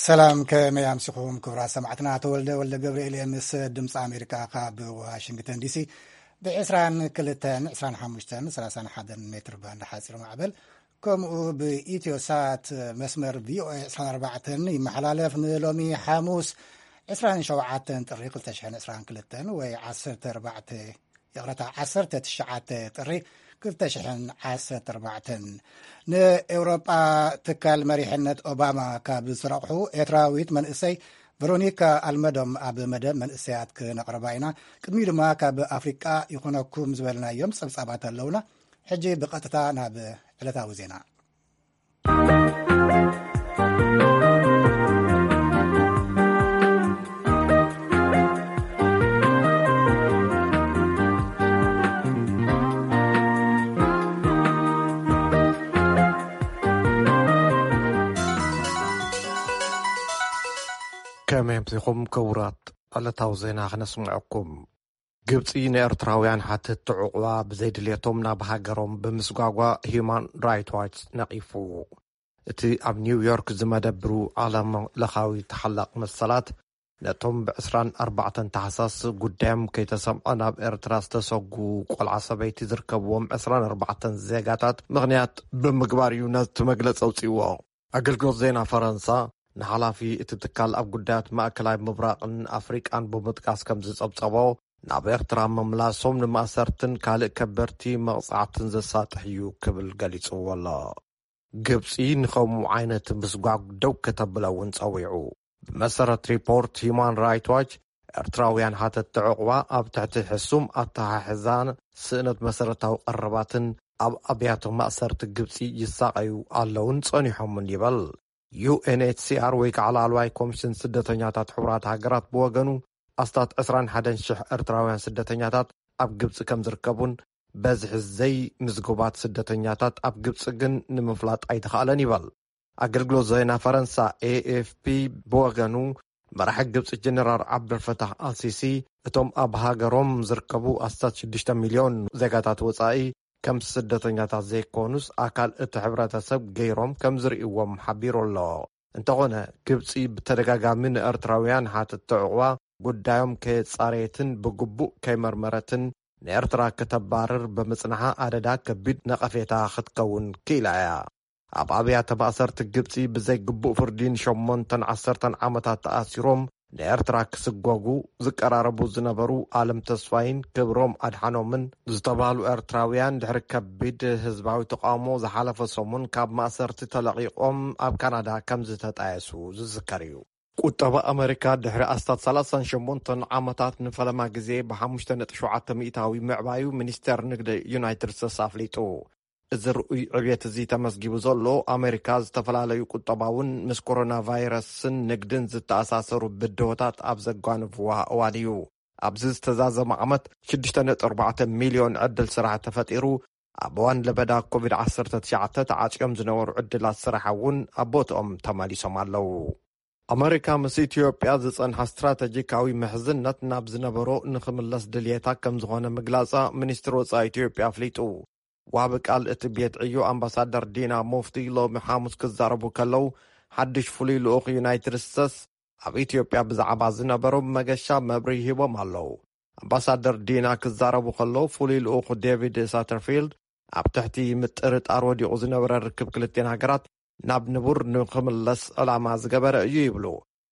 ሰላም፣ ከመይ ኣምሲኹም ክቡራት ሰማዕትና? ተወልደ ወልደ ገብርኤል እየ ምስ ድምፂ ኣሜሪካ ካብ ዋሽንግተን ዲሲ። ብ22፣ 25፣ 31 ሜትር ባንድ ሓፂር ማዕበል፣ ከምኡ ብኢትዮ ሳት መስመር ቪኦኤ 24 ይመሓላለፍ። ንሎሚ ሓሙስ 27 ጥሪ 2022 ወይ 14፣ ይቕረታ፣ 19 ጥሪ 2014። ንኤውሮጳ ትካል መሪሕነት ኦባማ ካብ ዝረቕሑ ኤርትራዊት መንእሰይ ቨሮኒካ ኣልመዶም ኣብ መደብ መንእሰያት ክነቕርባ ኢና። ቅድሚኡ ድማ ካብ ኣፍሪቃ ይኹነኩም ዝበልናዮም ጸብጻባት ኣለውና። ሕጂ ብቐጥታ ናብ ዕለታዊ ዜና። ከመይ ኣምሲኹም ክቡራት? ዕለታዊ ዜና ክነስምዐኩም። ግብጺ ንኤርትራውያን ሓተትቲ ዕቑባ ብዘይድልየቶም ናብ ሃገሮም ብምስጓጓ ሂዩማን ራይት ዋች ነቒፉ። እቲ ኣብ ኒውዮርክ ዝመደብሩ ዓለም ለኻዊ ተሓላቕ መሰላት፣ ነቶም ብ24 ታሕሳስ ጉዳዮም ከይተሰምዐ ናብ ኤርትራ ዝተሰጉ ቆልዓ ሰበይቲ ዝርከብዎም 24 ዜጋታት ምኽንያት ብምግባር እዩ ነቲ መግለጺ ኣውጺእዎ። ኣገልግሎት ዜና ፈረንሳ ንሓላፊ እቲ ትካል ኣብ ጉዳያት ማእከላይ ምብራቕን ኣፍሪቃን ብምጥቃስ ከም ዝጸብጸቦ፣ ናብ ኤርትራ ምምላሶም ንማእሰርትን ካልእ ከበድቲ መቕጻዕትን ዘሳጥሕ እዩ ክብል ገሊጽዎ ኣሎ። ግብጺ ንኸምኡ ዓይነት ምስጓግ ደው ከተብለ እውን ጸዊዑ። ብመሰረት ሪፖርት ሂዩማን ራይት ዋች፣ ኤርትራውያን ሓተትቲ ዕቑባ ኣብ ትሕቲ ሕሱም ኣተሓሕዛን ስእነት መሰረታዊ ቀረባትን ኣብ ኣብያተ ማእሰርቲ ግብጺ ይሳቐዩ ኣለውን ጸኒሖምን ይበል። ዩ ኤን ኤች ሲ ኣር ወይ ከዓ ላዕለዋይ ኮሚሽን ስደተኛታት ሕቡራት ሃገራት ብወገኑ፣ ኣስታት 21,000 ኤርትራውያን ስደተኛታት ኣብ ግብጺ ከም ዝርከቡን፣ በዝሒ ዘይምዝጉባት ስደተኛታት ኣብ ግብጺ ግን ንምፍላጥ ኣይተኻእለን ይበል። ኣገልግሎት ዜና ፈረንሳ ኤ ኤፍ ፒ ብወገኑ፣ መራሒ ግብጺ ጀነራል ዓብደልፈታሕ ኣልሲሲ፣ እቶም ኣብ ሃገሮም ዝርከቡ ኣስታት 6 ሚልዮን ዜጋታት ወጻኢ፣ ከም ስደተኛታት ዘይኮኑስ ኣካል እቲ ሕብረተሰብ ገይሮም ከም ዝርእይዎም ሓቢሩ ኣሎ። እንተኾነ፣ ግብጺ ብተደጋጋሚ ንኤርትራውያን ሓተትቲ ዕቑባ ጉዳዮም ከየጻረየትን ብግቡእ ከይመርመረትን፣ ንኤርትራ ከተባርር ብምጽንሓ ኣደዳ ከቢድ ነቐፌታ ክትከውን ክኢላ እያ። ኣብ ኣብያተ ማእሰርቲ ግብጺ ብዘይግቡእ ፍርዲ ንሸሞንተን ዓሰርተን ዓመታት ተኣሲሮም ንኤርትራ ክስጎጉ ዝቀራረቡ ዝነበሩ ኣለም ተስፋይን ክብሮም ኣድሓኖምን ዝተባህሉ ኤርትራውያን፣ ድሕሪ ከቢድ ህዝባዊ ተቃውሞ ዝሓለፈ ሰሙን ካብ ማእሰርቲ ተለቒቖም ኣብ ካናዳ ከም ዝተጣየሱ ዝዝከር እዩ። ቁጠባ ኣመሪካ ድሕሪ ኣስታት 38 ዓመታት ንፈለማ ግዜ ብ5.7% ምዕባዩ ሚኒስቴር ንግዲ ዩናይትድ ስቴትስ ኣፍሊጡ። እዚ ርኡይ ዕብየት እዚ ተመዝጊቡ ዘሎ፣ ኣመሪካ ዝተፈላለዩ ቁጠባውን ምስ ኮሮና ቫይረስን ንግድን ዝተኣሳሰሩ ብድሆታት ኣብ ዘጓንፍዋ እዋን እዩ። ኣብዚ ዝተዛዘመ ዓመት 6.4 ሚልዮን ዕድል ስራሕ ተፈጢሩ፣ ኣብ እዋን ለበዳ ኮቪድ-19 ተዓጽዮም ዝነበሩ ዕድላት ስራሕ እውን ኣብ ቦትኦም ተመሊሶም ኣለዉ። ኣመሪካ ምስ ኢትዮጵያ ዝጸንሓ ስትራተጂካዊ ምሕዝነት ናብ ዝነበሮ ንኽምለስ ድልየታ ከም ዝኾነ ምግላጻ ሚኒስትሪ ወጻኢ ኢትዮጵያ ኣፍሊጡ። ዋቢ ቃል እቲ ቤት ዕዮ ኣምባሳደር ዲና ሙፍቲ ሎሚ ሓሙስ ክዛረቡ ከለዉ፣ ሓድሽ ፍሉይ ልኡኽ ዩናይትድ ስቴትስ ኣብ ኢትዮጵያ ብዛዕባ ዝነበሮም መገሻ መብርሂ ሂቦም ኣለዉ። ኣምባሳደር ዲና ክዛረቡ ከለዉ፣ ፍሉይ ልኡኽ ዴቪድ ሳተርፊልድ ኣብ ትሕቲ ምጥርጣር ወዲቑ ዝነበረ ርክብ ክልቲኣን ሃገራት ናብ ንቡር ንኽምለስ ዕላማ ዝገበረ እዩ ይብሉ።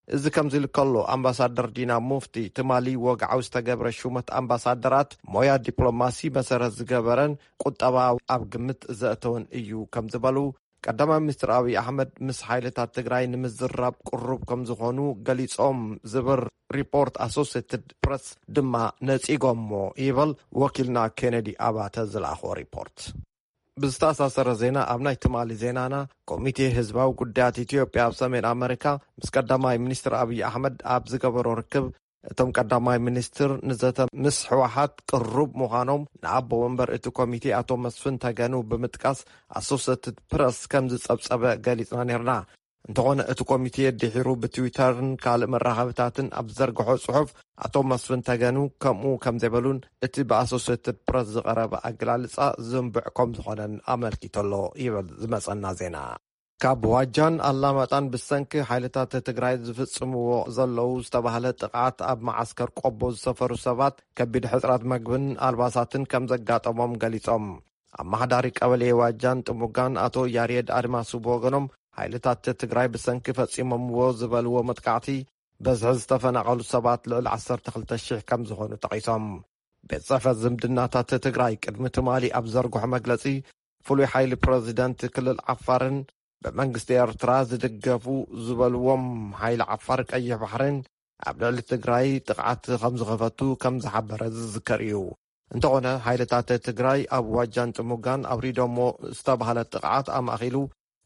እዚ ከምዚ ኢሉ ከሎ፣ ኣምባሳደር ዲና ሙፍቲ ትማሊ ወግዓዊ ዝተገብረ ሹመት ኣምባሳደራት ሞያ ዲፕሎማሲ መሰረት ዝገበረን ቁጠባ ኣብ ግምት ዘእተወን እዩ ከም ዝበሉ፣ ቀዳማይ ሚኒስትር ኣብይ ኣሕመድ ምስ ሓይልታት ትግራይ ንምዝራብ ቅሩብ ከም ዝኾኑ ገሊጾም ዝብል ሪፖርት ኣሶሴትድ ፕረስ ድማ ነጺጎሞ ይበል ወኪልና ኬነዲ ኣባተ ዝለኣኾ ሪፖርት። ብዝተኣሳሰረ ዜና፣ ኣብ ናይ ትማሊ ዜናና፣ ኮሚቴ ህዝባዊ ጉዳያት ኢትዮጵያ ኣብ ሰሜን ኣመሪካ ምስ ቀዳማይ ሚኒስትር ኣብይ ኣሕመድ ኣብ ዝገበሮ ርክብ፣ እቶም ቀዳማይ ሚኒስትር ንዘተ ምስ ህወሓት ቅሩብ ምዃኖም ንኣቦ ወንበር እቲ ኮሚቴ ኣቶ መስፍን ተገኑ ብምጥቃስ ኣሶሴትድ ፕረስ ከም ዝጸብጸበ ገሊጽና ነርና። እንተኾነ እቲ ኮሚቴ ድሒሩ ብትዊተርን ካልእ መራኸብታትን ኣብ ዝዘርግሖ ጽሑፍ፣ ኣቶ መስፍን ተገኑ ከምኡ ከም ዘይበሉን እቲ ብኣሶሴትድ ፕረስ ዝቐረበ ኣገላልጻ ዝንቡዕ ከም ዝኾነን ኣመልኪቱ ኣሎ ይብል ዝመጸና ዜና። ካብ ዋጃን ኣላማጣን ብሰንኪ ሓይልታት ትግራይ ዝፍጽምዎ ዘለዉ ዝተባህለ ጥቕዓት ኣብ መዓስከር ቆቦ ዝሰፈሩ ሰባት ከቢድ ሕጽረት መግብን ኣልባሳትን ከም ዘጋጠሞም ገሊጾም። ኣመሓዳሪ ቀበሌ ዋጃን ጥሙጋን ኣቶ ያሬድ ኣድማሱ ብወገኖም፣ ሓይልታት ትግራይ ብሰንኪ ፈጺሞምዎ ዝበልዎ መጥቃዕቲ በዝሒ ዝተፈናቐሉ ሰባት ልዕሊ ዓሰርተ ክልተ ሽሕ ከም ዝኾኑ ጠቒሶም። ቤት ጽሕፈት ዝምድናታት ትግራይ ቅድሚ ትማሊ ኣብ ዘርግሖ መግለጺ፣ ፍሉይ ሓይሊ ፕረዚደንት ክልል ዓፋርን ብመንግስቲ ኤርትራ ዝድገፉ ዝበልዎም ሓይሊ ዓፋር ቀይሕ ባሕርን ኣብ ልዕሊ ትግራይ ጥቕዓት ከም ዝኸፈቱ ከም ዝሓበረ ዝዝከር እዩ። እንተኾነ፣ ሓይልታት ትግራይ ኣብ ዋጃን ጥሙጋን ኣውሪዶሞ ዝተባህለ ጥቕዓት ኣማእኺሉ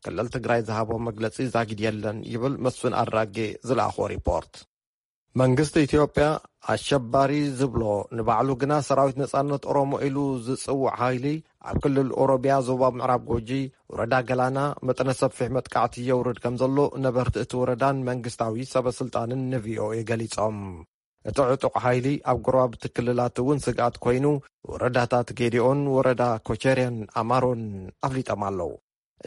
ክልል ትግራይ ዝሃቦ መግለጺ ዛጊድ የለን ይብል መስፍን ኣድራጌ ዝለኣኾ ሪፖርት። መንግስቲ ኢትዮጵያ ኣሸባሪ ዝብሎ ንባዕሉ ግና ሰራዊት ነጻነት ኦሮሞ ኢሉ ዝጽውዕ ሓይሊ ኣብ ክልል ኦሮሚያ ዞባ ምዕራብ ጎጂ ወረዳ ገላና መጠነ ሰፊሕ መጥቃዕቲ የውርድ ከም ዘሎ ነበርቲ እቲ ወረዳን መንግስታዊ ሰበ ስልጣንን ንቪኦኤ ገሊጾም። እቲ ዕጡቕ ሓይሊ ኣብ ጎረባብቲ ክልላት እውን ስግኣት ኮይኑ ወረዳታት ጌዲኦን ወረዳ ኮቸርያን ኣማሮን ኣፍሊጦም ኣለዉ።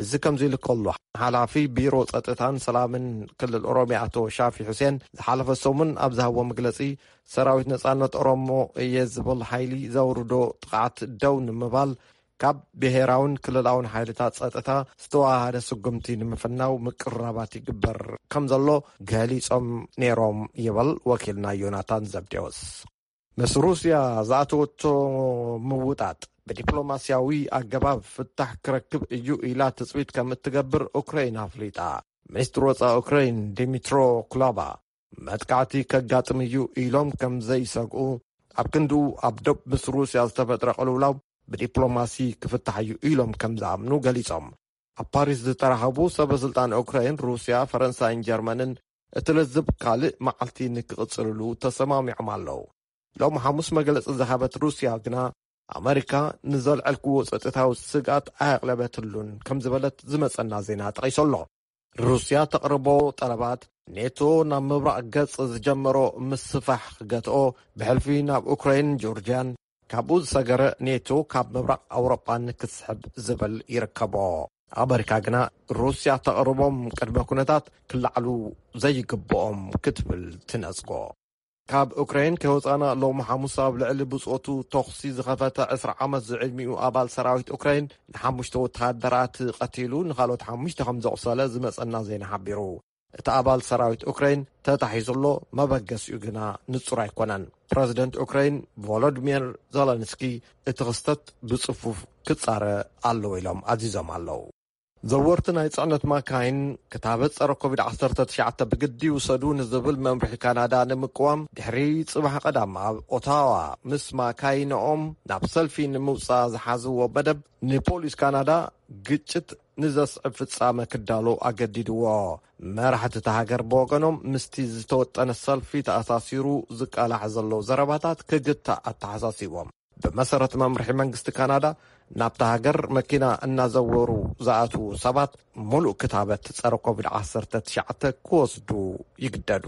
እዚ ከምዚ ኢሉ ከሎ፣ ሓላፊ ቢሮ ጸጥታን ሰላምን ክልል ኦሮሚያ ኣቶ ሻፊ ሁሴን ዝሓለፈ ሰሙን ኣብ ዝሃቦ መግለጺ፣ ሰራዊት ነጻነት ኦሮሞ እየ ዝብል ሓይሊ ዘውርዶ ጥቕዓት ደው ንምባል ካብ ብሄራውን ክልላውን ሓይልታት ጸጥታ ዝተዋሃደ ስጉምቲ ንምፍናው ምቅርራባት ይግበር ከም ዘሎ ገሊጾም ነይሮም ይብል ወኪልና ዮናታን ዘብዴዎስ። ምስ ሩስያ ዝኣተወቶ ምውጣጥ ብዲፕሎማስያዊ ኣገባብ ፍታሕ ክረክብ እዩ ኢላ ትጽቢት ከም እትገብር ኡክራይን ኣፍሊጣ። ሚኒስትሪ ወጻኢ ኡክራይን ዲሚትሮ ኩላባ መጥቃዕቲ ከጋጥም እዩ ኢሎም ከም ዘይሰግኡ፣ ኣብ ክንድኡ ኣብ ዶብ ምስ ሩስያ ዝተፈጥረ ቅልውላው ብዲፕሎማሲ ክፍታሕ እዩ ኢሎም ከም ዝኣምኑ ገሊጾም። ኣብ ፓሪስ ዝተራኸቡ ሰበ ስልጣን ኡክራይን፣ ሩስያ፣ ፈረንሳይን ጀርመንን እቲ ለዝብ ካልእ መዓልቲ ንክቕጽልሉ ተሰማሚዖም ኣለዉ። ሎም ሓሙስ መግለጺ ዝሃበት ሩስያ ግና፣ ኣመሪካ ንዘልዐልክዎ ጸጥታዊ ስግኣት ኣየቕለበትሉን ከም ዝበለት ዝመጸና ዜና ጠቒሱ ኣሎ። ሩስያ ተቕርቦ ጠለባት፣ ኔቶ ናብ ምብራቕ ገጽ ዝጀመሮ ምስፋሕ ክገትኦ፣ ብሕልፊ ናብ ኡክራይን ጆርጅያን፣ ካብኡ ዝሰገረ ኔቶ ካብ ምብራቕ ኣውሮጳ ንክስሕብ ዝብል ይርከቦ። ኣመሪካ ግና ሩስያ ተቕርቦም ቅድመ ኩነታት ክለዓሉ ዘይግብኦም ክትብል ትነጽጎ። ካብ ኡክራይን ከይወጻና ሎም ሓሙስ ኣብ ልዕሊ ብጾቱ ተኹሲ ዝኸፈተ ዕስራ ዓመት ዝዕድሚኡ ኣባል ሰራዊት ኡክራይን ንሓሙሽተ ወተሃደራት ቀቲሉ ንኻልኦት ሓሙሽተ ከም ዘቑሰለ ዝመጸና ዜና ሓቢሩ። እቲ ኣባል ሰራዊት ኡክራይን ተታሒዙ ኣሎ፣ መበገሲኡ ግና ንጹር ኣይኮነን። ፕረዚደንት ኡክራይን ቮሎዲሚር ዘለንስኪ እቲ ክስተት ብጽፉፍ ክጻረ ኣለዎ ኢሎም ኣዚዞም ኣለዉ። ዘወርቲ ናይ ጽዕነት ማካይን ክታበት ጸረ ኮቪድ ዓሰርተ ትሽዓተ ብግዲ ይውሰዱ ንዝብል መምርሒ ካናዳ ንምቅዋም ድሕሪ ጽባሕ ቀዳም ኣብ ኦታዋ ምስ ማካይንኦም ናብ ሰልፊ ንምውጻእ ዝሓዝዎ መደብ ንፖሊስ ካናዳ ግጭት ንዘስዕብ ፍጻመ ክዳሎ ኣገዲድዎ። መራሕቲ እታ ሃገር ብወገኖም ምስቲ ዝተወጠነ ሰልፊ ተኣሳሲሩ ዝቃላሕ ዘሎ ዘረባታት ክግታእ ኣተሓሳሲቦም። ብመሰረት መምርሒ መንግስቲ ካናዳ፣ ናብታ ሃገር መኪና እናዘወሩ ዝኣትዉ ሰባት ሙሉእ ክታበት ጸረ ኮቪድ ዓሰርተ ትሽዓተ ክወስዱ ይግደዱ።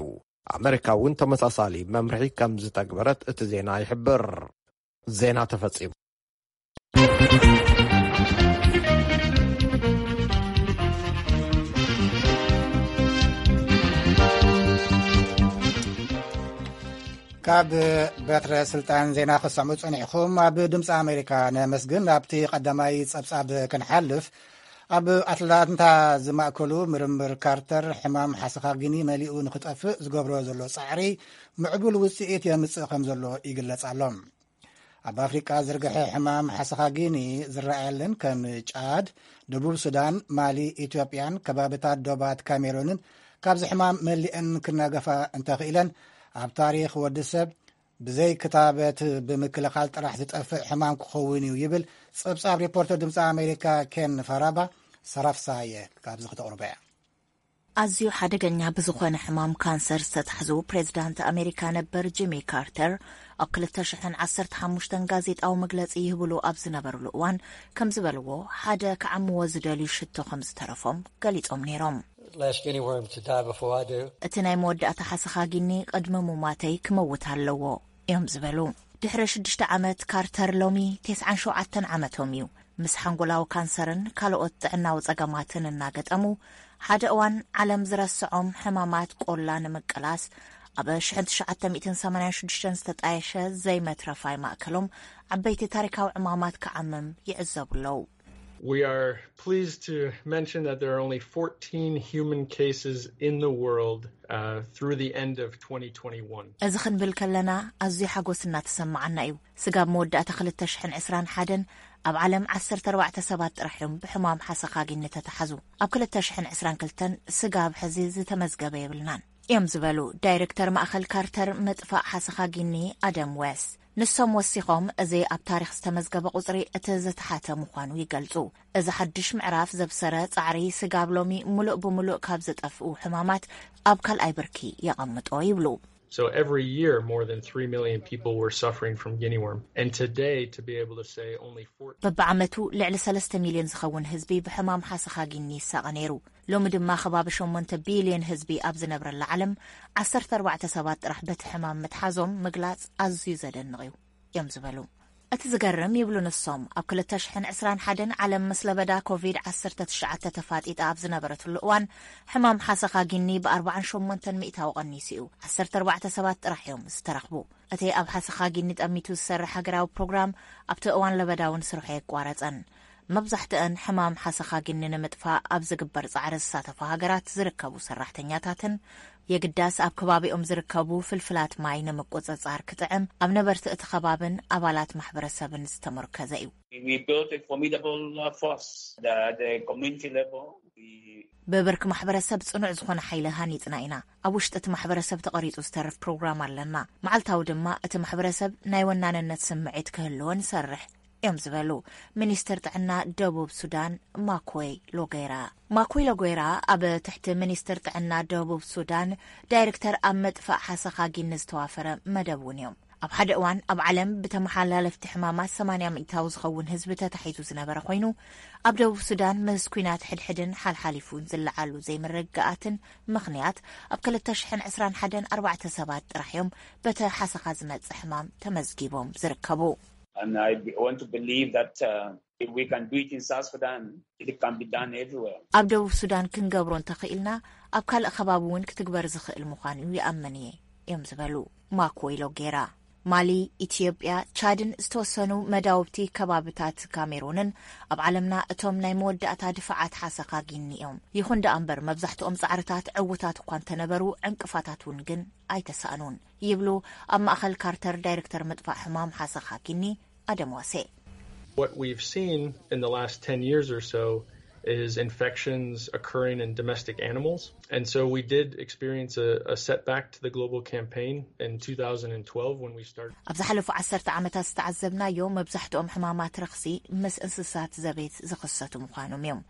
ኣመሪካ እውን ተመሳሳሊ መምርሒ ከም ዝተግበረት እቲ ዜና ይሕብር። ዜና ተፈጺሙ። ካብ በትረ ስልጣን ዜና ክሰምዑ ጸኒሕኹም። ኣብ ድምፂ ኣሜሪካ ነመስግን። ኣብቲ ቀዳማይ ጸብጻብ ክንሓልፍ፣ ኣብ ኣትላንታ ዝማእከሉ ምርምር ካርተር ሕማም ሓሰኻጊኒ መሊኡ ንኽጠፍእ ዝገብሮ ዘሎ ጻዕሪ ምዕቡል ውጽኢት የምጽእ ከም ዘሎ ይግለጽ ኣሎ። ኣብ ኣፍሪቃ ዝርግሐ ሕማም ሓሰኻጊኒ ዝረኣየለን ከም ጫድ፣ ደቡብ ሱዳን፣ ማሊ፣ ኢትዮጵያን ከባብታት ዶባት ካሜሩንን ካብዚ ሕማም መሊአን ክናገፋ እንተኽኢለን፣ ኣብ ታሪኽ ወዲ ሰብ ብዘይ ክታበት ብምክልኻል ጥራሕ ዝጠፍእ ሕማም ክኸውን እዩ ይብል ጸብጻብ ሪፖርተር ድምፂ ኣሜሪካ ኬን ፋራባ። ሰራፍሳየ ካብዚ ክተቕርቦ እያ። ኣዝዩ ሓደገኛ ብዝኾነ ሕማም ካንሰር ዝተታሕዙ ፕሬዝዳንት ኣሜሪካ ነበር ጂሚ ካርተር ኣብ ክልተ ሽሕን ዓሰርተ ሓሙሽተን ጋዜጣዊ መግለጺ ይህብሉ ኣብ ዝነበርሉ እዋን ከም ዝበልዎ፣ ሓደ ክዓምዎ ዝደልዩ ሽቶ ከም ዝተረፎም ገሊጾም ነይሮም። Last guinea worm to die before I do. እቲ ናይ መወዳእታ ሓሰኻጊኒ ቅድሚ ሙማተይ ክመውት ኣለዎ እዮም ዝበሉ። ድሕሪ ሽዱሽተ ዓመት ካርተር ሎሚ ተስዓን ሸውዓተን ዓመቶም እዩ። ምስ ሓንጎላዊ ካንሰርን ካልኦት ጥዕናዊ ጸገማትን እናገጠሙ፣ ሓደ እዋን ዓለም ዝረስዖም ሕማማት ቆላ ንምቅላስ ኣብ ሽሕን ትሽዓተ ሚእትን ሰማንያን ሽዱሽተን ዝተጣየሸ ዘይመትረፋይ ማእከሎም ዓበይቲ ታሪካዊ ዕማማት ክዓምም ይዕዘቡ ኣለዉ። We are pleased to mention that there are only fourteen human cases in the world uh, through the end of twenty twenty-one. እዚ ክንብል ከለና ኣዝዩ ሓጎስ እናተሰማዓና እዩ። ስጋብ መወዳእታ ክልተ ሽሕን ዕስራን ሓደን ኣብ ዓለም ዓሰርተ ኣርባዕተ ሰባት ጥራሕ እዮም ብሕማም ሓሰኻጊኒ ተተሓዙ። ኣብ ክልተ ሽሕን ዕስራን ክልተን ስጋብ ሕዚ ዝተመዝገበ የብልናን እዮም ዝበሉ ዳይሬክተር ማእኸል ካርተር ምጥፋእ ሓሰኻጊኒ ኣደም ዌስ። ንሶም ወሲኾም፣ እዚ ኣብ ታሪኽ ዝተመዝገበ ቁጽሪ እቲ ዝተሓተ ምዃኑ ይገልጹ። እዚ ሓድሽ ምዕራፍ ዘብሰረ ጻዕሪ ስጋብ ሎሚ ምሉእ ብምሉእ ካብ ዝጠፍኡ ሕማማት ኣብ ካልኣይ ብርኪ የቐምጦ ይብሉ። So every year, more than three million people were suffering from guinea worm. And today, to be able to say only fourteen በብዓመቱ ልዕሊ ሰለስተ ሚልዮን ዝኸውን ህዝቢ ብሕማም ሓሰኻ ጊኒ ይሳቐ ነይሩ። ሎሚ ድማ ከባቢ ሸሞንተ ቢልዮን ህዝቢ ኣብ ዝነብረላ ዓለም ዓሰርተ ኣርባዕተ ሰባት ጥራሕ በቲ ሕማም ምትሓዞም ምግላጽ ኣዝዩ ዘደንቕ እዩ እዮም ዝበሉ። እቲ ዝገርም ይብሉ ንሶም፣ ኣብ ክልተ ሽሕን ዕስራን ሓደን ዓለም ምስ ለበዳ ኮቪድ ዓሰርተ ትሽዓተ ተፋጢጣ ኣብ ዝነበረትሉ እዋን ሕማም ሓሰኻ ጊኒ ብኣርባዓን ሸሞንተን ሚእታዊ ቀኒሱ እዩ። ዓሰርተ ኣርባዕተ ሰባት ጥራሕ እዮም ዝተረኽቡ። እቲ ኣብ ሓሰኻ ጊኒ ጠሚቱ ዝሰርሕ ሃገራዊ ፕሮግራም ኣብቲ እዋን ለበዳ እውን ስርሑ ኣየቋረጸን። መብዛሕትአን ሕማም ሓሰኻ ጊኒ ንምጥፋእ ኣብ ዝግበር ጻዕሪ ዝሳተፋ ሃገራት ዝርከቡ ሰራሕተኛታትን የግዳስ ኣብ ከባቢኦም ዝርከቡ ፍልፍላት ማይ ንምቁጽጻር ክጥዕም ኣብ ነበርቲ እቲ ከባብን ኣባላት ማሕበረሰብን ዝተመርኮዘ እዩ። We built a formidable uh, force at the community level. We ብብርኪ ማሕበረሰብ ጽኑዕ ዝኾነ ሓይሊ ሃኒጽና ኢና። ኣብ ውሽጢ እቲ ማሕበረሰብ ተቐሪጹ ዝተርፍ ፕሮግራም ኣለና። መዓልታዊ ድማ እቲ ማሕበረሰብ ናይ ወናንነት ስምዒት ክህልዎ ንሰርሕ እዮም ዝበሉ ሚኒስትር ጥዕና ደቡብ ሱዳን ማኮይ ሎጌራ። ማኮይ ሎጌራ ኣብ ትሕቲ ሚኒስትር ጥዕና ደቡብ ሱዳን ዳይሬክተር ኣብ መጥፋእ ሓሰኻ ጊኒ ዝተዋፈረ መደብ እውን እዮም። ኣብ ሓደ እዋን ኣብ ዓለም ብተመሓላለፍቲ ሕማማት ሰማንያ ሚእታዊ ዝኸውን ህዝቢ ተታሒዙ ዝነበረ ኮይኑ፣ ኣብ ደቡብ ሱዳን ምስ ኲናት ሕድሕድን ሓልሓሊፉን ዝለዓሉ ዘይምርግጋኣትን ምኽንያት ኣብ ክልተ ሽሕን ዕስራን ሓደን ኣርባዕተ ሰባት ጥራሕ እዮም በቲ ሓሰኻ ዝመጽእ ሕማም ተመዝጊቦም ዝርከቡ። And I want to believe that uh, if we can do it in South Sudan, it can be done everywhere. ኣብ ደቡብ ሱዳን ክንገብሮ እንተኽኢልና ኣብ ካልእ ከባቢ እውን ክትግበር ዝኽእል ምዃኑ ይኣምን እየ እዮም ዝበሉ ማኮይ ሎጌራ። ማሊ፣ ኢትዮጵያ፣ ቻድን ዝተወሰኑ መዳውብቲ ከባብታት ካሜሩንን ኣብ ዓለምና እቶም ናይ መወዳእታ ድፋዓት ሓሰኻ ጊኒ እዮም። ይኹን ደኣ እምበር መብዛሕትኦም ጻዕርታት ዕዉታት እኳ እንተነበሩ ዕንቅፋታት እውን ግን ኣይተሳእኑን ይብሉ ኣብ ማእኸል ካርተር ዳይሬክተር ምጥፋእ ሕማም ሓሰኻ ጊኒ ኣደም ዋሴ። What we've seen in the last ten years or so is infections occurring in domestic animals. And so we did experience a, a setback to the global campaign in two thousand twelve when we started. ኣብ ዝሓለፉ ዓሰርተ ዓመታት ዝተዓዘብናዮ መብዛሕትኦም ሕማማት ረኽሲ ምስ እንስሳት ዘቤት ዝኽሰቱ ምዃኖም እዮም።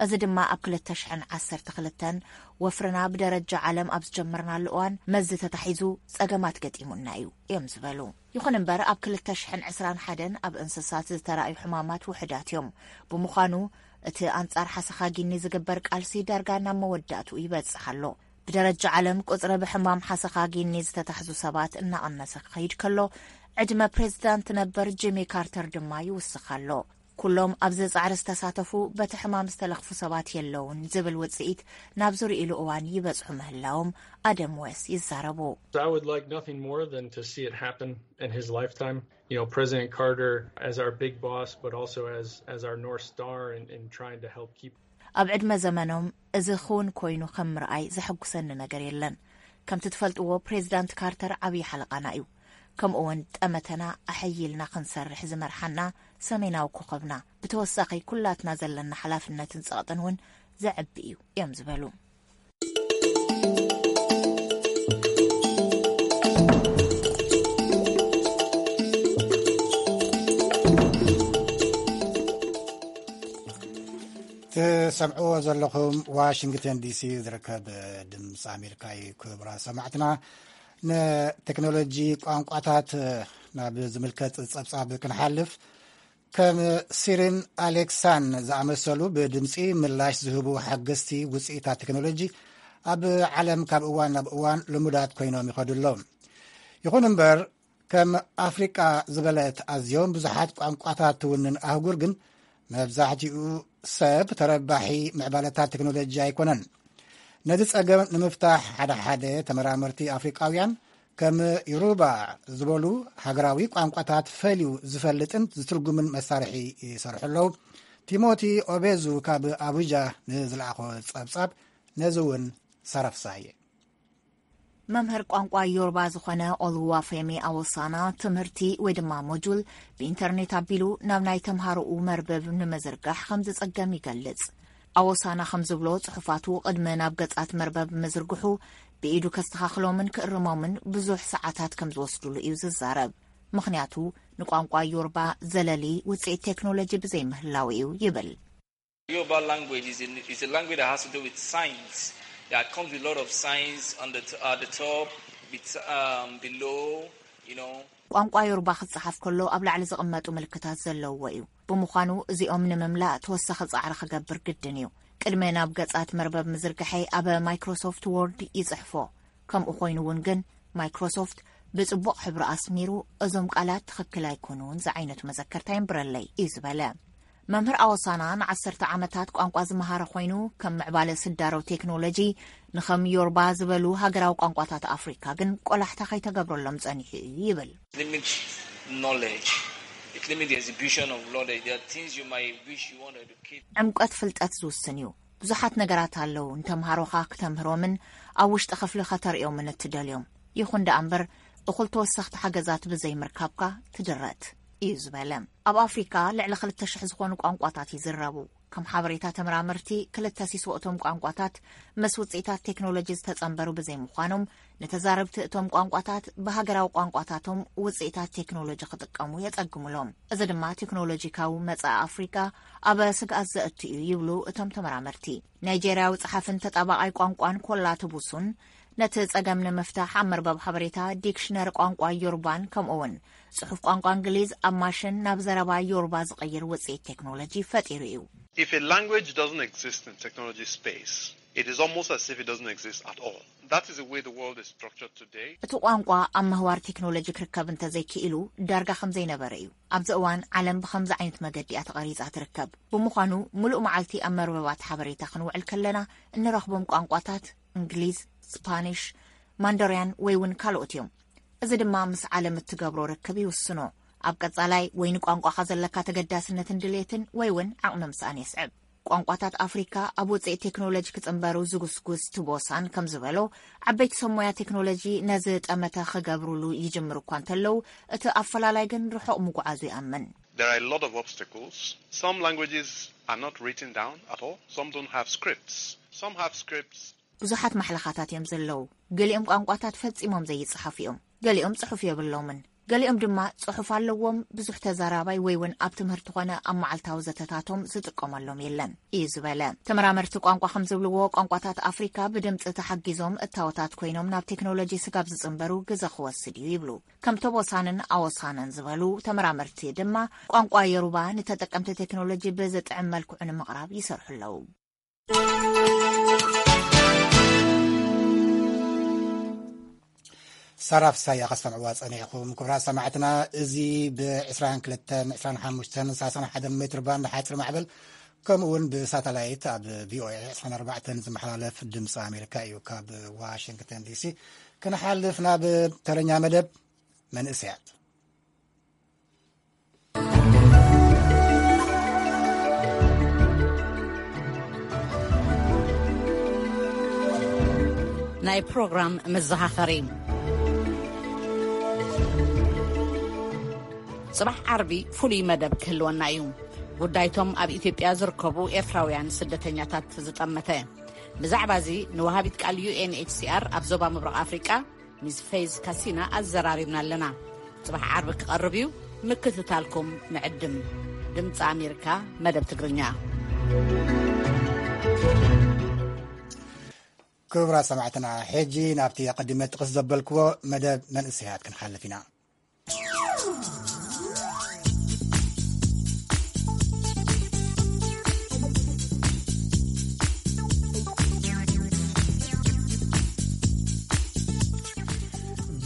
እዚ ድማ ኣብ ክልተ ሽሕን ዓሰርተ ክልተን ወፍርና ብደረጃ ዓለም ኣብ ዝጀመርናሉ እዋን መዚ ተታሒዙ ጸገማት ገጢሙና እዩ እዮም ዝበሉ። ይኹን እምበር ኣብ ክልተ ሽሕን ዕስራን ሓደን ኣብ እንስሳት ዝተራእዩ ሕማማት ውሑዳት እዮም። ብምዃኑ እቲ ኣንጻር ሓሰኻ ጊኒ ዝግበር ቃልሲ ዳርጋ ናብ መወዳእትኡ ይበጽሕ ኣሎ። ብደረጃ ዓለም ቁጽሪ ብሕማም ሓሰኻ ጊኒ ዝተታሕዙ ሰባት እናቐነሰ ክኸይድ ከሎ፣ ዕድመ ፕሬዚዳንት ነበር ጂሚ ካርተር ድማ ይውስኽ ኣሎ። ኩሎም ኣብዚ ጻዕሪ ዝተሳተፉ በቲ ሕማም ዝተለኽፉ ሰባት የለውን ዝብል ውጽኢት ናብ ዝርእይሉ እዋን ይበጽሑ ምህላዎም ኣደም ዌስ ይዛረቡ። I would like nothing more than to see it happen in his lifetime. You know, President Carter as our big boss, but also as as our North Star in, in trying to help keep. ኣብ ዕድመ ዘመኖም እዚ ክውን ኮይኑ ከም ምርኣይ ዘሐጉሰኒ ነገር የለን። ከምቲ ትፈልጥዎ ፕሬዚዳንት ካርተር ዓብዪ ሓለቓና እዩ። ከምኡ እውን ጠመተና ኣሐይልና ክንሰርሕ ዝመርሓና ሰሜናዊ ኮኸብና። ብተወሳኺ ኩላትና ዘለና ሓላፍነትን ጸቕጥን እውን ዘዕቢ እዩ እዮም ዝበሉ። ትሰምዕዎ ዘለኹም ዋሽንግተን ዲሲ ዝርከብ ድምፂ ኣሜሪካ እዩ። ክቡራት ሰማዕትና፣ ንቴክኖሎጂ ቋንቋታት ናብ ዝምልከት ጸብጻብ ክንሓልፍ፣ ከም ሲሪን ኣሌክሳን ዝኣመሰሉ ብድምፂ ምላሽ ዝህቡ ሓገዝቲ ውፅኢታት ቴክኖሎጂ ኣብ ዓለም ካብ እዋን ናብ እዋን ልሙዳት ኮይኖም ይኸዱ ኣለዉ። ይኹን እምበር፣ ከም ኣፍሪቃ ዝበለት ኣዝዮም ብዙሓት ቋንቋታት ትውንን ኣህጉር ግን መብዛሕትኡ ሰብ ተረባሒ ምዕባለታት ቴክኖሎጂ ኣይኮነን። ነዚ ጸገም ንምፍታሕ ሓደ ሓደ ተመራመርቲ ኣፍሪቃውያን ከም ዮሩባ ዝበሉ ሃገራዊ ቋንቋታት ፈልዩ ዝፈልጥን ዝትርጉምን መሳርሒ ይሰርሑ ኣለዉ። ቲሞቲ ኦቤዙ ካብ ኣቡጃ ንዝለኣኾ ጸብጻብ ነዚ እውን ሰረፍሳየ። መምህር ቋንቋ ዮርባ ዝኾነ ኦልዋፌሚ ኣወሳና ትምህርቲ ወይ ድማ ሞጁል ብኢንተርኔት ኣቢሉ ናብ ናይ ተምሃሮኡ መርበብ ንምዝርጋሕ ከም ዝጸገም ይገልጽ። ኣወሳና ከም ዝብሎ ጽሑፋቱ ቅድሚ ናብ ገጻት መርበብ ምዝርግሑ ብኢዱ ከስተኻኽሎምን ክእርሞምን ብዙሕ ሰዓታት ከም ዝወስዱሉ እዩ ዝዛረብ። ምኽንያቱ ንቋንቋ ዮርባ ዘለሊ ውጽኢት ቴክኖሎጂ ብዘይምህላው እዩ ይብል። Yoruba language is, in, is a language that has to do with signs. Yeah, it comes with a lot of signs on the, t- at the top, bet- um, below, you know. ቋንቋ ዮሩባ ክጸሓፍ ከሎ ኣብ ላዕሊ ዝቕመጡ ምልክታት ዘለውዎ እዩ። ብምዃኑ እዚኦም ንምምላእ ተወሳኺ ጻዕሪ ክገብር ግድን እዩ። ቅድሚ ናብ ገጻት መርበብ ምዝርግሐይ ኣብ ማይክሮሶፍት ዎርድ ይጽሕፎ። ከምኡ ኮይኑ እውን ግን ማይክሮሶፍት ብጽቡቕ ሕብሪ ኣስሚሩ እዞም ቃላት ትኽክል ኣይኮኑን ዝዓይነቱ መዘከርታ የንብረለይ እዩ ዝበለ። መምህር ኣወሳና ንዓሰርተ ዓመታት ቋንቋ ዝመሃረ ኮይኑ ከም ምዕባለ ስዳሮ ቴክኖሎጂ ንኸም ዮርባ ዝበሉ ሃገራዊ ቋንቋታት ኣፍሪካ ግን ቆላሕታ ከይተገብረሎም ጸኒሑ እዩ ይብል። Limit knowledge. It limits the exhibition of knowledge. There are things you might wish you want to educate. ዕምቆት ፍልጠት ዝውስን እዩ። ብዙሓት ነገራት ኣለዉ ንተምሃሮኻ ክተምህሮምን ኣብ ውሽጢ ክፍሊ ከተርእዮምን እትደልዮም። ይኹን ደኣ እምበር እኹል ተወሰኽቲ ሓገዛት ብዘይምርካብካ ትድረት እዩ ዝበለ። ኣብ ኣፍሪካ ልዕሊ ክልተ ሽሕ ዝኾኑ ቋንቋታት ይዝረቡ። ከም ሓበሬታ ተመራመርቲ ክልተ ሲሶ እቶም ቋንቋታት ምስ ውፅኢታት ቴክኖሎጂ ዝተፀንበሩ ብዘይምዃኖም ንተዛረብቲ እቶም ቋንቋታት ብሃገራዊ ቋንቋታቶም ውፅኢታት ቴክኖሎጂ ክጥቀሙ የፀግሙሎም። እዚ ድማ ቴክኖሎጂካዊ መፃኢ ኣፍሪካ ኣብ ስግኣት ዘእቱ እዩ ይብሉ እቶም ተመራመርቲ። ናይጄርያዊ ጸሓፍን ተጣባቓይ ቋንቋን ኮላ ትቡሱን ነቲ ጸገም ንምፍታሕ ኣብ መርበብ ሓበሬታ ዲክሽነሪ ቋንቋ ዮርባን ከምኡውን ጽሑፍ ቋንቋ እንግሊዝ ኣብ ማሽን ናብ ዘረባ ዮርባ ዝቕይር ውጽኢት ቴክኖሎጂ ፈጢሩ እዩ። If a language doesn't exist in technology space, it is almost as if it doesn't exist at all. That is the way the world is structured today. እቲ ቋንቋ ኣብ ምህዋር ቴክኖሎጂ ክርከብ እንተዘይክኢሉ ዳርጋ ከም ዘይነበረ እዩ። ኣብዚ እዋን ዓለም ብኸምዚ ዓይነት መገዲ እያ ተቐሪጻ ትርከብ። ብምዃኑ ምሉእ መዓልቲ ኣብ መርበባት ሓበሬታ ክንውዕል ከለና እንረኽቦም ቋንቋታት እንግሊዝ፣ ስፓኒሽ፣ ማንደርያን ወይ እውን ካልኦት እዮም። እዚ ድማ ምስ ዓለም እትገብሮ ርክብ ይውስኖ። ኣብ ቀጻላይ ወይ ንቋንቋኻ ዘለካ ተገዳስነትን ድሌትን ወይ እውን ዓቕሚ ምስኣን የስዕብ። ቋንቋታት ኣፍሪካ ኣብ ውፅኢት ቴክኖሎጂ ክፅንበሩ ዝጉስጉስ ትቦሳን ከም ዝበሎ፣ ዓበይቲ ሰብ ሞያ ቴክኖሎጂ ነዚ ጠመተ ክገብሩሉ ይጅምሩ እኳ እንተለዉ፣ እቲ ኣፈላላይ ግን ርሑቕ ምጉዓዙ ይኣምን። There are a lot of obstacles. Some languages are not written down at all. Some don't have scripts. Some have scripts. ብዙሓት ማሕለኻታት እዮም ዘለዉ። ገሊኦም ቋንቋታት ፈጺሞም ዘይጸሓፉ እዮም። ገሊኦም ጽሑፍ የብሎምን። ገሊኦም ድማ ጽሑፍ ኣለዎም፣ ብዙሕ ተዛራባይ ወይ እውን ኣብ ትምህርቲ ኾነ ኣብ መዓልታዊ ዘተታቶም ዝጥቀመሎም የለን እዩ ዝበለ። ተመራመርቲ ቋንቋ ከም ዝብልዎ፣ ቋንቋታት ኣፍሪካ ብድምፂ ተሓጊዞም እታወታት ኮይኖም ናብ ቴክኖሎጂ ስጋብ ዝፅንበሩ ግዘ ክወስድ እዩ ይብሉ። ከም ቶቦሳንን ኣወሳነን ዝበሉ ተመራመርቲ ድማ፣ ቋንቋ የሩባ ንተጠቀምቲ ቴክኖሎጂ ብዝጥዕም መልክዑ ንምቕራብ ይሰርሑ ኣለዉ። ሰራፍ ሳያ ከስተምዕዋ ጸኒሕኩም። ክቡራት ሰማዕትና፣ እዚ ብ22፣ 25፣ 31 ሜትር ባንድ ሓፂር ማዕበል፣ ከምኡ እውን ብሳተላይት ኣብ ቪኦኤ 24 ዝመሓላለፍ ድምፂ ኣሜሪካ እዩ። ካብ ዋሽንግተን ዲሲ ክንሓልፍ ናብ ተረኛ መደብ መንእሰያት። ናይ ፕሮግራም መዘኻኸሪ። ጽባሕ ዓርቢ ፍሉይ መደብ ክህልወና እዩ። ጉዳይቶም ኣብ ኢትዮጵያ ዝርከቡ ኤርትራውያን ስደተኛታት ዝጠመተ። ብዛዕባ እዚ ንወሃቢት ቃል ዩ ኤን ኤች ሲ ኣር ኣብ ዞባ ምብራቕ ኣፍሪቃ ሚስ ፌዝ ካሲና ኣዘራሪብና ኣለና። ጽባሕ ዓርቢ ክቐርብ እዩ፣ ምክትታልኩም ንዕድም። ድምፂ ኣሜሪካ መደብ ትግርኛ። ክቡራት ሰማዕትና፣ ሕጂ ናብቲ ኣቐዲመ ጥቕስ ዘበልክዎ መደብ መንእሰያት ክንሓልፍ ኢና።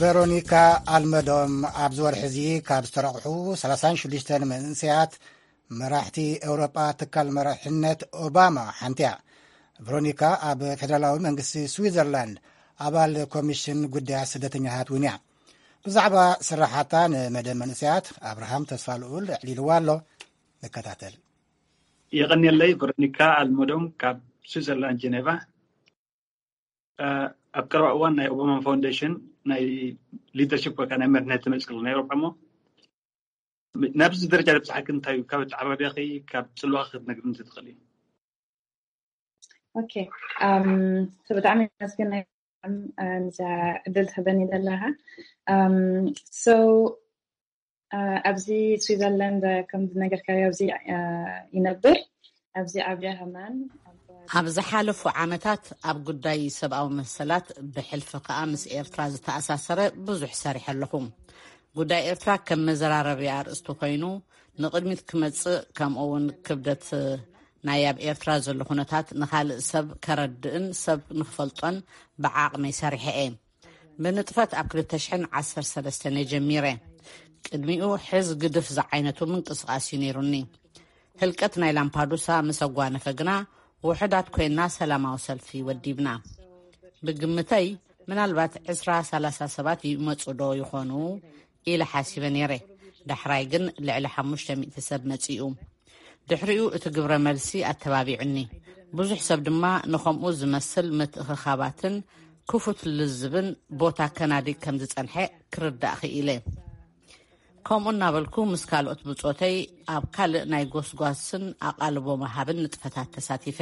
ቨሮኒካ ኣልመዶም ኣብዚ ወርሒ እዚ ካብ ዝተረቑሑ 36 መንእሰያት መራሕቲ ኤውሮጳ ትካል መራሕነት ኦባማ ሓንቲ እያ። ቨሮኒካ ኣብ ፌደራላዊ መንግስቲ ስዊዘርላንድ ኣባል ኮሚሽን ጉዳያት ስደተኛታት እውን እያ። ብዛዕባ ስራሓታ ንመደብ መንእሰያት ኣብርሃም ተስፋ ልኡል ኣዕሊልዋ ኣሎ። ንከታተል። የቐንየለይ። ቨሮኒካ ኣልሞዶም ካብ ስዊዘርላንድ ጀኔቫ። ኣብ ቀረባ እዋን ናይ ኦባማ ፋውንዴሽን ናይ ሊደርሽፕ ወይ ከዓ ናይ መሪሕነት ተመፅእ ናይ ኤውሮጳ እሞ ናብዚ ደረጃ ዝበፅሓኪ እንታይ እዩ? ካብ ኣተዓባብያኺ ካብ ፅልዋኺ ክትነግርኒ ትኽእሊ? ኦኬ። ብጣዕሚ መስገን ነዛ ዕድል ትህበኒ ዘለኻ። So ኣብዚ ስዊዘርላንድ ከም ዝነገርካዮ ኣብዚ ይነብር። ኣብዚ ዓብያ ከማን ኣብ ዝሓለፉ ዓመታት ኣብ ጉዳይ ሰብኣዊ መሰላት ብሕልፊ ከኣ ምስ ኤርትራ ዝተኣሳሰረ ብዙሕ ሰሪሐ ኣለኹ። ጉዳይ ኤርትራ ከም መዘራረቢ ኣርእስቲ ኮይኑ ንቕድሚት ክመጽእ፣ ከምኡ እውን ክብደት ናይ ኣብ ኤርትራ ዘሎ ኩነታት ንኻልእ ሰብ ከረድእን ሰብ ንኽፈልጦን ብዓቕመይ ሰሪሐ እየ። ብንጥፈት ኣብ ክልተ ሽሕን ዓሰርተ ሰለስተን እየ ጀሚረ። ቅድሚኡ ሕዝ ግድፍ ዝዓይነቱ ምንቅስቓስ እዩ ነይሩኒ። ህልቀት ናይ ላምፓዱሳ ምስ ኣጓነፈ ግና ውሑዳት ኮይና ሰላማዊ ሰልፊ ወዲብና። ብግምተይ ምናልባት ዕስራ ሰላሳ ሰባት ይመጹ ዶ ይኾኑ ኢለ ሓሲበ ነይረ። ዳሕራይ ግን ልዕሊ ሓሙሽተ ሚእቲ ሰብ መጺኡ። ድሕሪኡ እቲ ግብረ መልሲ ኣተባቢዑኒ። ብዙሕ ሰብ ድማ ንኸምኡ ዝመስል ምትእኽኻባትን ክፉት ልዝብን ቦታ ከናዲ ከም ዝጸንሐ ክርዳእ ክኢለ። ከምኡ እናበልኩ ምስ ካልኦት ብጾተይ ኣብ ካልእ ናይ ጎስጓስን ኣቓልቦ መሃብን ንጥፈታት ተሳቲፈ።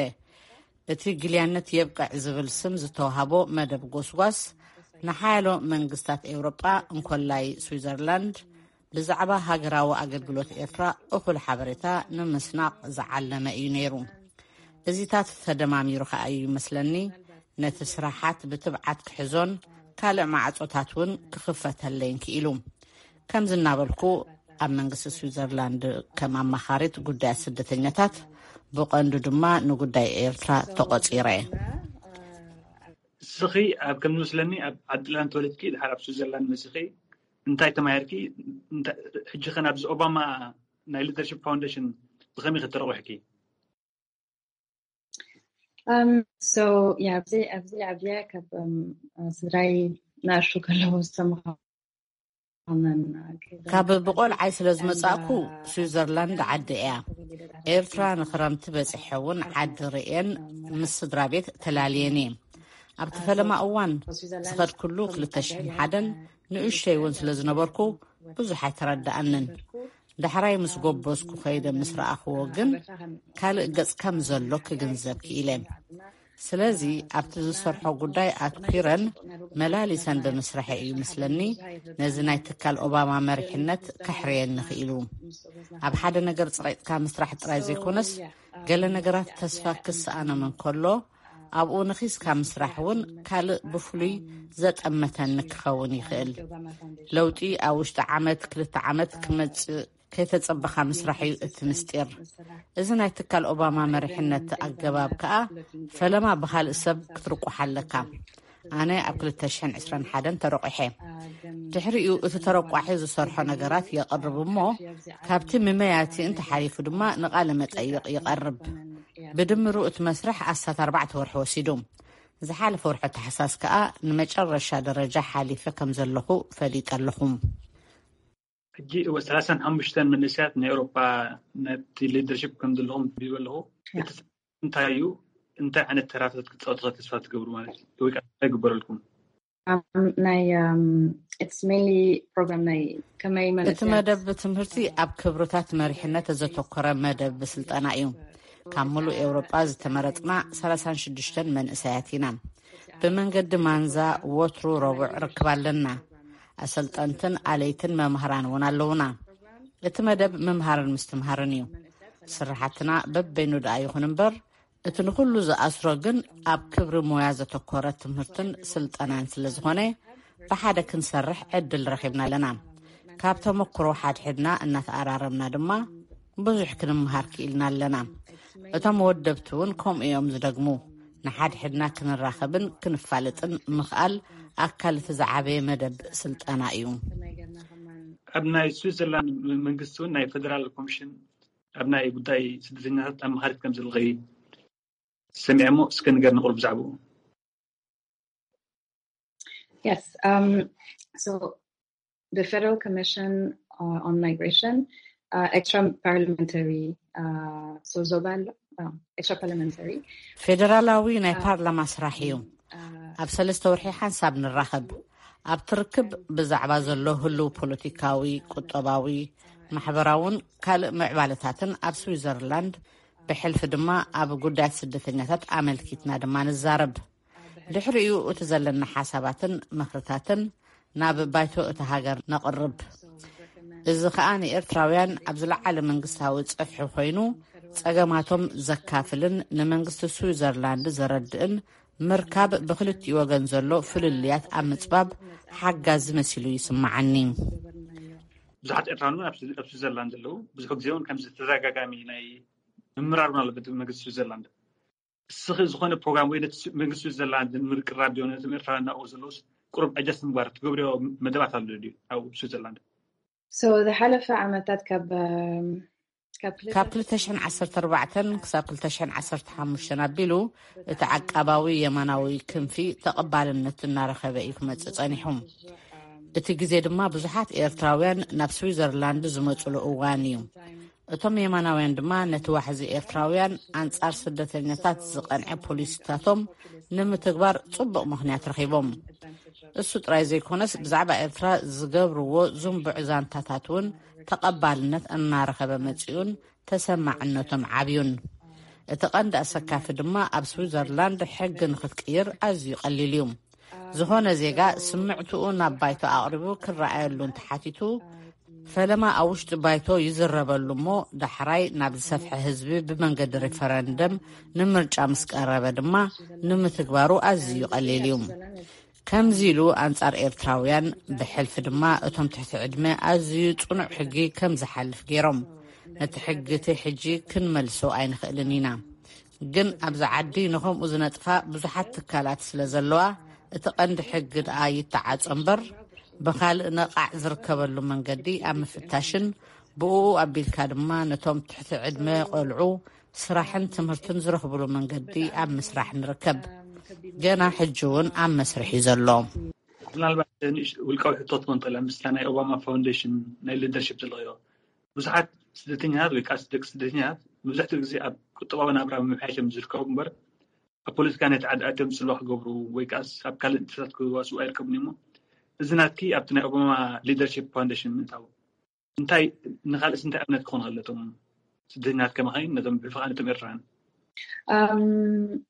እቲ ግልያነት የብቅዕ ዝብል ስም ዝተዋህቦ መደብ ጎስጓስ ንሓያሎ መንግስታት ኤውሮጳ እንኮላይ ስዊዘርላንድ ብዛዕባ ሃገራዊ ኣገልግሎት ኤርትራ እኹል ሓበሬታ ንምስናቕ ዝዓለመ እዩ ነይሩ። እዚታት ተደማሚሩ ከኣ እዩ ይመስለኒ ነቲ ስራሓት ብትብዓት ክሕዞን ካልእ ማዕጾታት እውን ክኽፈተለይን ክኢሉ። ከምዚ እናበልኩ ኣብ መንግስቲ ስዊዘርላንድ ከም ኣማኻሪት ጉዳያት ስደተኛታት ብቐንዱ ድማ ንጉዳይ ኤርትራ ተቖጺረ። እስኺ ኣብ ከም ዝመስለኒ ኣብ ዓዲ ላን ተወለድኪ ድሓር ኣብ ስዊዘርላንድ መሲኺ እንታይ ተማሂርኪ? ሕጂ ኸ ናብዚ ኦባማ ናይ ሊደርሽፕ ፋውንዴሽን ብኸመይ ከተረቑሕኪ? ሶ ኣብዚ ኣብዚ ዓብየ ካብ ስድራይ ናእሽቱ ከለዉ ዝተምሃ ካብ ብቆልዓይ ስለ ዝመጻእኩ ስዊዘርላንድ ዓዲ እያ። ኤርትራ ንክረምቲ በጺሐ እውን ዓዲ ርእየን ምስ ስድራ ቤት ተላልየን እየ። ኣብቲ ፈለማ እዋን ዝኸድኩሉ ክልተ ሽሕን ሓደን ንእሽተይ እውን ስለ ዝነበርኩ ብዙሕ ኣይተረዳኣንን። ዳሕራይ ምስ ጎበዝኩ ከይደ ምስ ረኣኽዎ ግን ካልእ ገጽ ከም ዘሎ ክግንዘብ ክኢለ። ስለዚ ኣብቲ ዝሰርሖ ጉዳይ ኣትኲረን መላሊሰን ብምስርሐ እዩ ምስለኒ ነዚ ናይ ትካል ኦባማ መሪሕነት ከሕርየኒ ክኢሉ። ኣብ ሓደ ነገር ጽቒጥካ ምስራሕ ጥራይ ዘይኮነስ ገለ ነገራት ተስፋ ክሰኣኖም እንከሎ ኣብኡ ነኺስካ ምስራሕ እውን ካልእ ብፍሉይ ዘጠመተኒ ክኸውን ይኽእል። ለውጢ ኣብ ውሽጢ ዓመት ክልተ ዓመት ክመጽእ ከይተጸበኻ ምስራሕ እዩ እቲ ምስጢር። እዚ ናይ ትካል ኦባማ መሪሕነት ኣገባብ ከኣ ፈለማ ብኻልእ ሰብ ክትርቁሕ ኣለካ። ኣነ ኣብ ክልተ ሽሕን ዕስራን ሓደን ተረቑሐ። ድሕሪኡ እቲ ተረቋሒ ዝሰርሖ ነገራት የቕርብ እሞ ካብቲ ምመያቲ እንተሓሊፉ ድማ ንቓለ መጠይቕ ይቐርብ። ብድምሩ እቲ መስርሕ ኣስታት ኣርባዕተ ወርሒ ወሲዱ። ዝሓለፈ ወርሒ ታሕሳስ ከኣ ንመጨረሻ ደረጃ ሓሊፈ ከም ዘለኹ ፈሊጠ ኣለኹ። ሕጂ እወ ሰላሳን ሓሙሽተን መንእሰያት ናይ ኤውሮጳ ነቲ ሊደርሽፕ ከም ዘለኹም ቢበ ኣለኹ። እቲ እንታይ እዩ? እንታይ ዓይነት ተራታት ክትፃወቱ ተስፋ ትገብሩ ማለት እዩ? ወይ ከዓ እንታይ ይግበረልኩም? ናይ it's mainly program ናይ ከመይ እቲ መደብ ትምህርቲ ኣብ ክብርታት መሪሕነት ዘተኮረ መደብ ስልጠና እዩ። ካብ ሙሉእ ኤውሮጳ ዝተመረጽና ሰላሳን ሽዱሽተን መንእሰያት ኢና። ብመንገዲ ማንዛ ወትሩ ረቡዕ ርክብ ኣለና። ኣሰልጠንትን ኣለይትን መምህራን እውን ኣለውና። እቲ መደብ ምምሃርን ምስትምሃርን እዩ። ስራሓትና በበይኑ ደኣ ይኹን እምበር እቲ ንኹሉ ዝኣስሮ ግን ኣብ ክብሪ ሞያ ዘተኮረ ትምህርትን ስልጠናን ስለ ዝኾነ ብሓደ ክንሰርሕ ዕድል ረኺብና ኣለና። ካብ ተመክሮ ሓድሕድና እናተኣራረምና ድማ ብዙሕ ክንምሃር ክኢልና ኣለና። እቶም ወደብቲ እውን ከምኡ እዮም ዝደግሙ። ንሓድሕድና ክንራኸብን ክንፋለጥን ምኽኣል ኣካል እቲ ዝዓበየ መደብ ስልጠና እዩ። ኣብ ናይ ስዊዘርላንድ መንግስቲ እውን ናይ ፌደራል ኮሚሽን ኣብ ናይ ጉዳይ ስደተኛታት ኣማኻሪት ከም ዘለኺ ሰሚዐ እሞ እስከ ንገርኒ ቁሩብ ብዛዕባኡ። Yes. Um, so the Federal Commission uh, on Migration, uh, extra parliamentary, uh, so Zobal, uh, extra parliamentary. ፌደራላዊ ናይ ፓርላማ ስራሕ እዩ። ኣብ ሰለስተ ወርሒ ሓንሳብ ንራኸብ። ኣብ ትርክብ ብዛዕባ ዘሎ ህልው ፖለቲካዊ፣ ቁጠባዊ፣ ማሕበራውን ካልእ ምዕባለታትን ኣብ ስዊዘርላንድ ብሕልፊ ድማ ኣብ ጉዳያት ስደተኛታት ኣመልኪትና ድማ ንዛረብ። ድሕሪኡ እቲ ዘለና ሓሳባትን ምኽርታትን ናብ ባይቶ እቲ ሃገር ነቕርብ። እዚ ኸኣ ንኤርትራውያን ኣብ ዝለዓለ መንግስታዊ ጸፍሒ ኮይኑ ጸገማቶም ዘካፍልን ንመንግስቲ ስዊዘርላንድ ዘረድእን ምርካብ ብክልቲኡ ወገን ዘሎ ፍልልያት ኣብ ምጽባብ ሓጋዚ መሲሉ ይስምዓኒ። ብዙሓት ኤርትራውያን እውን ኣብ ስዊ- ኣብ ስዊዘርላንድ ዘለዉ ብዙሕ ግዜ እውን ከምዚ ተደጋጋሚ ናይ ምምራር እውን ኣለበት መንግስቲ ስዊዘርላንድ። እስኺ ዝኾነ ፕሮግራም ወይ ነቲ ስ- መንግስቲ ስዊዘርላንድ ንምርቅራብ ዲዮ ነቶም ኤርትራውያን ናብኡ ዘለውስ ቁሩብ ዕጀስ ምግባር ትገብርዮ መደባት ኣሎ ድዩ ኣብ ስዊዘርላንድ? So ዝሓለፈ ዓመታት ካብ um, ካብ ክልተ- ካብ ክልተ ሽሕን ዓሰርተ ኣርባዕተን ክሳብ ክልተ ሽሕን ዓሰርተ ሓሙሽተን ኣቢሉ እቲ ዓቃባዊ የማናዊ ክንፊ ተቐባልነት እናረኸበ እዩ ክመጽእ ጸኒሑ። እቲ ግዜ ድማ ብዙሓት ኤርትራውያን ናብ ስዊዘርላንድ ዝመጹሉ እዋን እዩ። እቶም የማናውያን ድማ ነቲ ዋሕዚ ኤርትራውያን ኣንጻር ስደተኛታት ዝቐንዐ ፖሊሲታቶም ንምትግባር ጽቡቕ ምኽንያት ረኺቦም። እሱ ጥራይ ዘይኮነስ ብዛዕባ ኤርትራ ዝገብርዎ ዝንቡዕ ዛንታታት እውን ተቐባልነት እናረኸበ መጺኡን ተሰማዕነቶም ዓብዩን። እቲ ቀንዲ ኣሰካፊ ድማ ኣብ ስዊዘርላንድ ሕጊ ንክትቅይር ኣዝዩ ቀሊል እዩ። ዝኾነ ዜጋ ስምዕትኡ ናብ ባይቶ ኣቕሪቡ ክረኣየሉ እንተሓቲቱ ፈለማ ኣብ ውሽጢ ባይቶ ይዝረበሉ እሞ ዳሕራይ ናብ ዝሰፍሐ ህዝቢ ብመንገዲ ሪፈረንደም ንምርጫ ምስ ቀረበ ድማ ንምትግባሩ ኣዝዩ ቀሊል እዩ። ከምዚ ኢሉ ኣንጻር ኤርትራውያን ብሕልፊ ድማ እቶም ትሕቲ ዕድመ ኣዝዩ ጽኑዕ ሕጊ ከም ዝሓልፍ ገይሮም። ነቲ ሕጊ እቲ ሕጂ ክንመልሶ ኣይንኽእልን ኢና። ግን ኣብዚ ዓዲ ንኸምኡ ዝነጥፋ ብዙሓት ትካላት ስለ ዘለዋ እቲ ቀንዲ ሕጊ ደኣ ይተዓጾ እምበር ብኻልእ ነቓዕ ዝርከበሉ መንገዲ ኣብ ምፍታሽን ብኡ ኣቢልካ ድማ ነቶም ትሕቲ ዕድመ ቆልዑ ስራሕን ትምህርትን ዝረኽብሉ መንገዲ ኣብ ምስራሕ ንርከብ። ገና ሕጂ እውን ኣብ መስርሕ እዩ ዘሎ። ምናልባት ንእሽ ውልቃዊ ሕቶ ትኾን ጠላ ምስታ ናይ ኦባማ ፋውንዴሽን ናይ ሊደርሽፕ ዘለኽዮ ብዙሓት ስደተኛታት ወይ ከዓ ደቂ ስደተኛታት መብዛሕትኡ ግዜ ኣብ ቁጠባዊ ናብራ ምምሕያሽ እዮም ዝርከቡ እምበር ኣብ ፖለቲካ ናይ ተዓዲ ኣትዮም ፅልዋ ክገብሩ ወይ ከዓ ኣብ ካልእ ንጥፈታት ክዋስኡ ኣይርከቡን እሞ እዚ ናትኪ ኣብቲ ናይ ኦባማ ሊደርሽፕ ፋውንዴሽን ምእታው እንታይ ንካልእስ እንታይ ኣብነት ክኾኑ ከለቶም ስደተኛታት ከማኸይን ነቶም ብፍቓድ ነቶም ኤርትራውያን Um,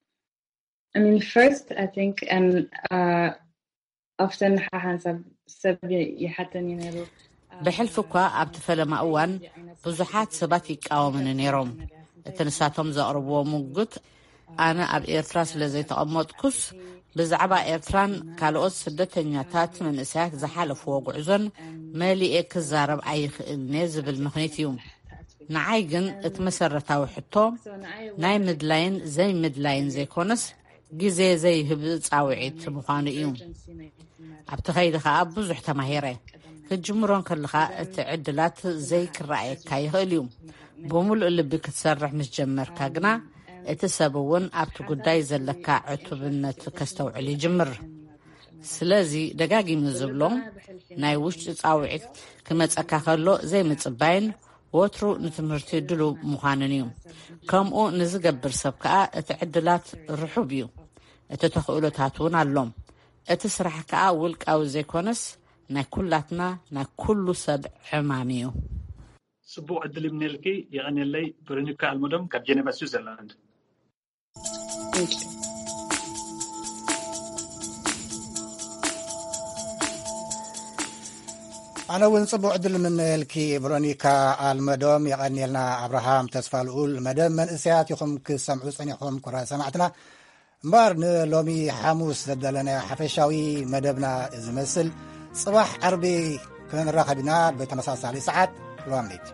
I mean, first, I think, and uh, often ሓንሳብ ሰብ ይሓተኒ ነይሩ። ብሕልፊ እኳ ኣብቲ ፈለማ እዋን ብዙሓት ሰባት ይቃወምኒ ነይሮም። እቲ ንሳቶም ዘቕርብዎ ሙግት ኣነ ኣብ ኤርትራ ስለ ዘይተቐመጥኩስ ብዛዕባ ኤርትራን ካልኦት ስደተኛታት መንእሰያት ዝሓለፍዎ ጉዕዞን መሊኤ ክዛረብ ኣይኽእልን'የ ዝብል ምኽኒት እዩ። ንዓይ ግን እቲ መሰረታዊ ሕቶ ናይ ምድላይን ዘይምድላይን ዘይኮነስ ግዜ ዘይህብ ጻውዒት ምዃኑ እዩ። ኣብቲ ኸይዲ ኸኣ ብዙሕ ተማሂረ። ክትጅምሮ እንከለኻ እቲ ዕድላት ዘይክረኣየካ ይኽእል እዩ። ብምሉእ ልቢ ክትሰርሕ ምስ ጀመርካ ግና እቲ ሰብ እውን ኣብቲ ጉዳይ ዘለካ ዕቱብነት ከስተውዕል ይጅምር። ስለዚ ደጋጊሙ ዝብሎ ናይ ውሽጢ ጻውዒት ክመጸካ ከሎ ዘይምጽባይን ወትሩ ንትምህርቲ ድሉው ምዃንን እዩ። ከምኡ ንዝገብር ሰብ ከኣ እቲ ዕድላት ርሑብ እዩ። እቲ ተኽእሎታት እውን ኣሎ። እቲ ስራሕ ከኣ ውልቃዊ ዘይኮነስ ናይ ኩላትና ናይ ኩሉ ሰብ ዕማም እዩ። ጽቡቕ ዕድል ይምነልኪ። የቐንየለይ። ቨሮኒካ ኣልመዶም ካብ ጀኔቫ ስዊዘርላንድ። ኣነ እውን ጽቡቕ ዕድል ምነየልኪ ቨሮኒካ ኣልመዶም። የቐንየልና። ኣብርሃም ተስፋ ልኡል መደብ መንእሰያት ኢኹም ክሰምዑ ጸኒሕኹም። ኩራ ሰማዕትና እምበር ንሎሚ ሓሙስ ዘዳለናዮ ሓፈሻዊ መደብና እዚ መስል። ጽባሕ ዓርቢ ክንራኸብ ኢና ብተመሳሳሊ ሰዓት። ሎምኒት